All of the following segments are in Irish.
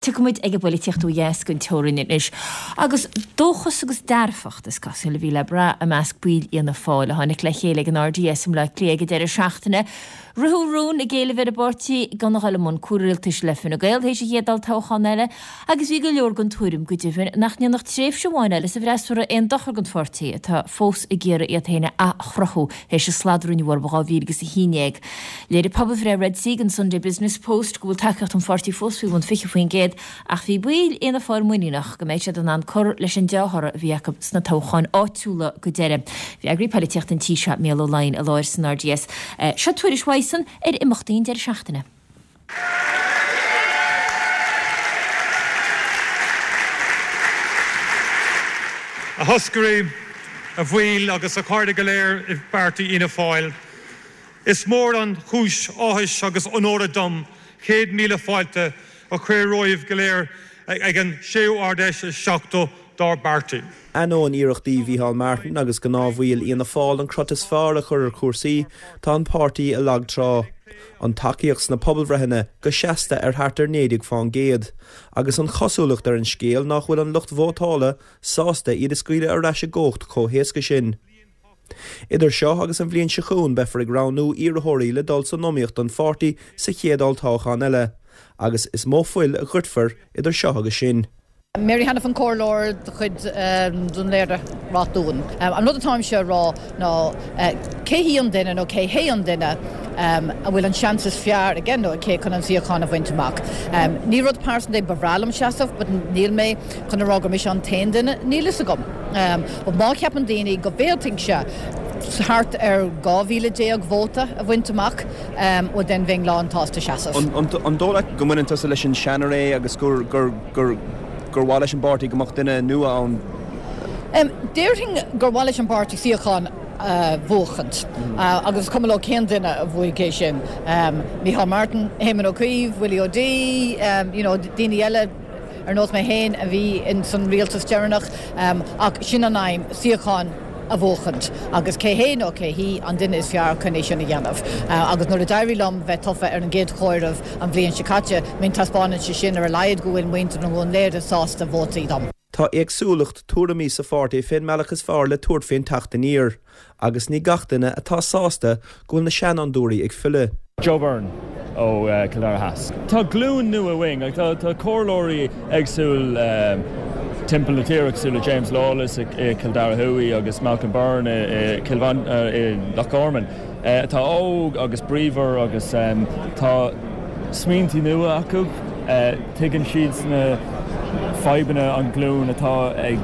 Tiocfaidh muid ag an bpoilitíocht ó dheas den teorainn anois. Agus dóchas agus dearfacht, is cosúil, a bhí le brath i measc baill Fhianna Fáil a tháinig le chéile ag an RDS i mBleá Cliath ag an deireadh seachtaine. Ritheadh rún ag éileamh ar an bpáirtí gan a dhul i mbun comhrialtais le Fine Gael théis an chéad olltoghchán eile agus bhí go leor den tuairim go deimhin nach ndéanfadh tréimhse amháin eile sa bhfreasúra aon dochar don pháirtí atá fós ag iarraidh iad féin a athchruthú théis an slad a rinneadh orthu in 2011. Léirigh pobalbhreith Red C don Sunday Business Post go bhfuil tacaíocht an pháirtí fós faoi bhun 20% ach bhí baill Fhianna Fáil muiníneach go mbeidh siad in ann cur leis an dea-thoradh a bhí acu sna toghcháin áitiúla go deireadh. Bhí eagraí poilitíochta an tí seo, Mícheál Ó Laighin, i láthair san RDS. Seo tuairisc uaidhsean ar imeachtaí an deireadh seachtaine. A thoscairí, a bhaill agus a chairde go léir i bpáirtí Fhianna Fáil. Is mór an chúis áthais agus onóra dom 100,000 fáilte a chur romhaibh go léir ag an séú Ard-Fheis is 70 dár bpáirtí. Ainneoin iarrachtaí Mhícheál Martin agus gnáthbhaill Fhianna Fáil an crot is fearr a chur ar chúrsaí, tá an páirtí i lag trá. An tacaíocht sna pobalbhreitheanna go seasta ar thart ar 19%, agus an chosúlacht ar an scéal nach bhfuil an lucht vótála sásta iad a scaoileadh ar ais i gcumhacht chomh héasca sin. Idir seo agus an bhliain seo chugainn beifear ag roghnú iarrthóirí le dul san iomaíocht don pháirtí sa chéad olltoghchán eile, agus is mó fuil a dhoirtfear idir seo agus sin. Mary Hanafin Comhairleoir de chuid Dún Laoghaire Ráth Dúin. An rud atáimse a rá ná cé hí an duine nó cé hé an duine a bhfuil an seans is fearr aige nó aici chun an suíochán a bhaint amach. Ní rud pearsanta é, ba bhreá liom seasamh but níl mé chun a rá gur mise an t-aon duine, níl fhios agam. But má cheapann daoine go bhféadfainnse thart ar 12,000 vóta a bhaint amach, bhuel then bheinn lán tsásta seasamh. An dóigh leat go mbaineann tusa leis an seanré agus gur gur mhaith leis an bpáirtí go mbeadh duine nua ann? Déarfainn gur mhaith leis an bpáirtí suíochán a bhuachaint agus is cuma leo cén duine a bhuafaidh é sin, Micheál Martin, Éamon Ó Cuív, Willie O'Dea, you know daoine eile. ar nós mé féin a bhí ins an rialtas deireanach, ach sin an aidhm, suíochán a bhuachaint agus cé hé nó cé hí an duine is fearr chun é sin a dhéanamh. Agus nuair a d'éirigh liom bheith tofa ar an gcéad chomhaireamh an bhliain seo caite, I mean taispeánann sé sin ar a laghad go bhfuil muintir an Dhúin Laoghaire sásta vótaí dom. Tá éagsúlacht tuairimí sa pháirtí fén mbealach is fearr le tabhairt fén teacht aniar. Agus ní gach duine atá sásta go bhfuil na seanfhondúirí ag filleadh. Joe Byrne ó Chill Dara Theas. Tá glúin nua uainn. Tá comhairleoirí éagsúil timpeall na tíre cosúil le James Lawless i Cill Dara Thuaidh agus Malcolm Byrne i Cill i Loch Garman atá óg agus bríomhar agus tá smaointí nua acu. Tuigeann siad na fadhbanna an ghlúin atá ag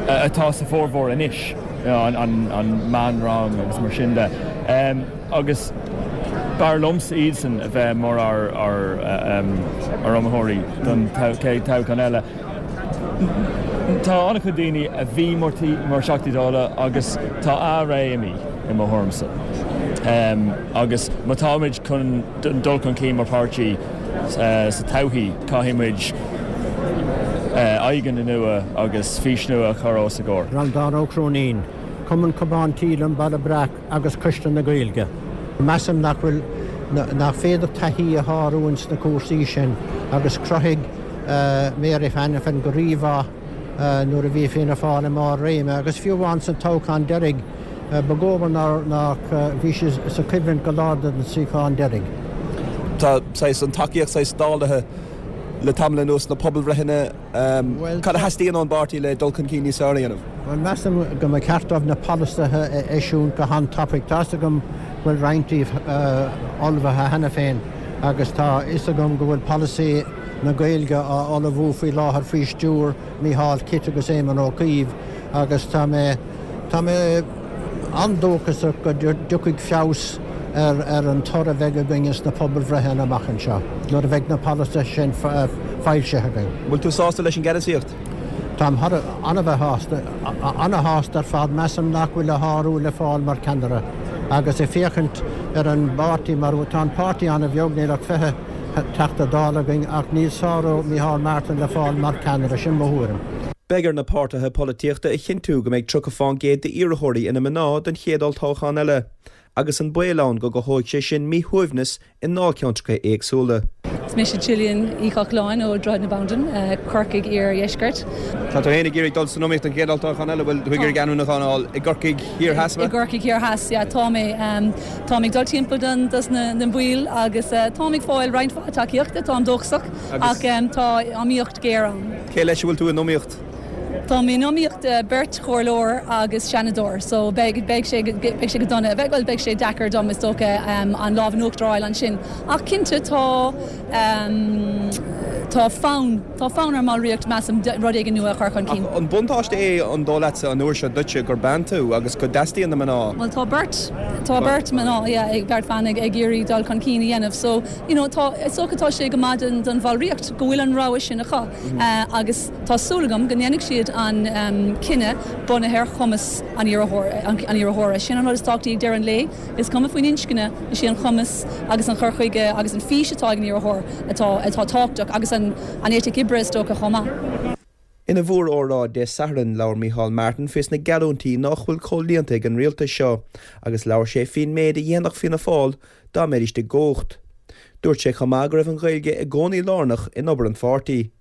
atá sa bhformhór anois, an meánrang agus mar sin de. Agus b'fhearr liomsa iadsan a bheith mar ár iomaitheoirí don chéad toghchán eile. Tá an-chuid daoine a bhí mar Theachtaí Dála agus tá a ré imithe, i mo thuairimse. Agus má táimid chun dul chun cinn mar pháirtí sa todhchaí, caithfidh muid aghaidheanna nua agus fís nua a chur os a gcomhair. Breandán Ó Cróinín, Cumann Cupán Tae Liom Baile Breac agus Coiste na Gaeilge. Measaim nach bhfuil, nach féidir taithí a shárú ins na cúrsaí sin agus chruthaigh Mary Hanafin go rímhaith nuair a bhí Fianna Fáil i mbarr réime agus fiú amháin sa toghchán deiridh ba dhóbair nár, bhí sí sa choimhlint go lár don suíochán deiridh. Tá saghas, an tacaíocht saghas dálaithe le tamall anuas sna pobalbhreitheanna. Cad a theastaíonn ón bpáirtí le dul chun cinn níos fearr a dhéanamh? Bhuel, measaim go mba cheart dóibh na polasaithe a eisiúint go han-tapaidh. Tá's agam go bhfuil roinnt díobh ullmhaithe cheana féin agus tá fhios agam go bhfuil polasaí na Gaeilge á ullmhú faoi láthair faoi stiúir Mícheál Kit agus Éamon Ó Cuív agus tá mé tá mé an-dóchasach go dtiocfaidh feabhas ar ar an toradh a bheidh againn sna pobalbhreitheanna amach anseo nuair a bheidh na polasaithe sin foilsithe againn. Bhfuil tú sásta leis an gceannasaíocht? Táim thar a bheith sásta, an-shásta ar fad. Measaim nach bhfuil a shárú le fáil mar cheannaire agus ag féachaint ar an bpáirtí mar tá an páirtí an-bheag, níl ach 20 Teachta Dála againn ach níl sárú Micheál Martin le fáil mar cheannaire, sin mo thuairim. Beidh ar na páirtithe polaitíochta a chinntiú go mbeidh 30 fán gcéad d'iarrthóirí ina mná don chéad olltoghchán eile. agus an baol ann go gcothóidh sé sin míshuaimhneas i ndáilcheantracha éagsúla. Is mise Gillian Uí Chochláin ó Droichead na Bandan, Corcaigh Iar-Dheisceart. Tá tú féin ag iarraidh dul san iomaíocht don chéad olltoghchán eile, bhfuil tú ag iarraidh ainmniúchán a fháil i gCorcaigh Thiar Theas? I gCorcaigh Thiar Theas, yeah, tá mé. Táim ag dul timpeall don, dos na, na baill agus táim ag fáil roinnt mhaith tacaíochta, táim dóchasach ach tá iomaíocht ghéar ann. Cé leis a bhfuil tú in iomaíocht? Táim in iomaíocht beirt chomhairleoir agus seanadóir so beidh beidh sé beidh sé go dona, bhuel beidh sé deacair dom is dócha an lámh in uachtar a fháil ansin ach cinnte tá tá fonn tá fonn ar an mballraíocht measaim rud éigin nua a chur chun cinn. Ach an buntáiste é an dóigh leatsa an uair seo duitse gur bean tú agus go dteastaíonn na mná? Bhuel tá beirt tá beirt mná yeah ag beirt bhan ag ag iarraidh dul chun cinn a dhéanamh so you know tá is dócha tá sé go maith don don bhallraíocht go bhfuil an rogha sin acu agus Tá súil agam go ndéanfaidh siad an cinneadh bunaithe ar chumas an iarrthóra. Sin an rud is tábhachtaí ag deireadh an lae. Is cuma faoin inscne, is é an cumas agus an cur chuige agus an fís atá ag an iarrthóir atá atá tábhachtach agus an eitic oibre is dócha chomh maith. Ina mhóróráid Dé Sathairn, labhair Micheál Martin faoi na geallúintí nách bhfuil comhlíonta ag an rialtas seo agus labhair sé faoin méid a dhéanfadh Fianna Fáil dá mbeidís i gcumhacht. Dúirt sé chomh maith go raibh an Ghaeilge i gcónaí lárnach in obair an pháirtí.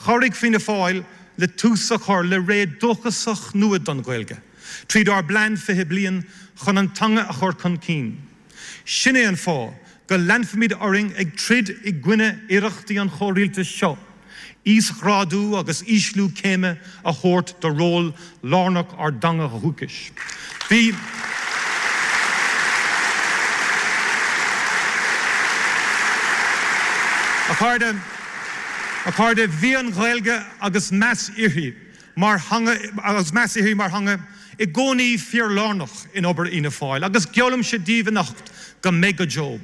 Chabhraigh Fianna Fáil le tús a chur le ré dóchasach nua don Ghaeilge, tríd ár bPlean 20 Bliain chun an teanga a chur chun cinn. Sin é an fáth go leanfaimid orainn ag troid i gcoinne iarrachtaí an chomhrialtais seo íosghrádú agus ísliú céime a thabhairt do ról lárnach ár dteanga dhúchais. Bhí. A chairde, a chairde, bhí an Ghaeilge agus meas uirthi mar theanga agus meas uirthi mar theanga i gcónaí fíorlárnach in obair Fhianna Fáil agus geallaimse daoibh anocht go mbeidh go deo.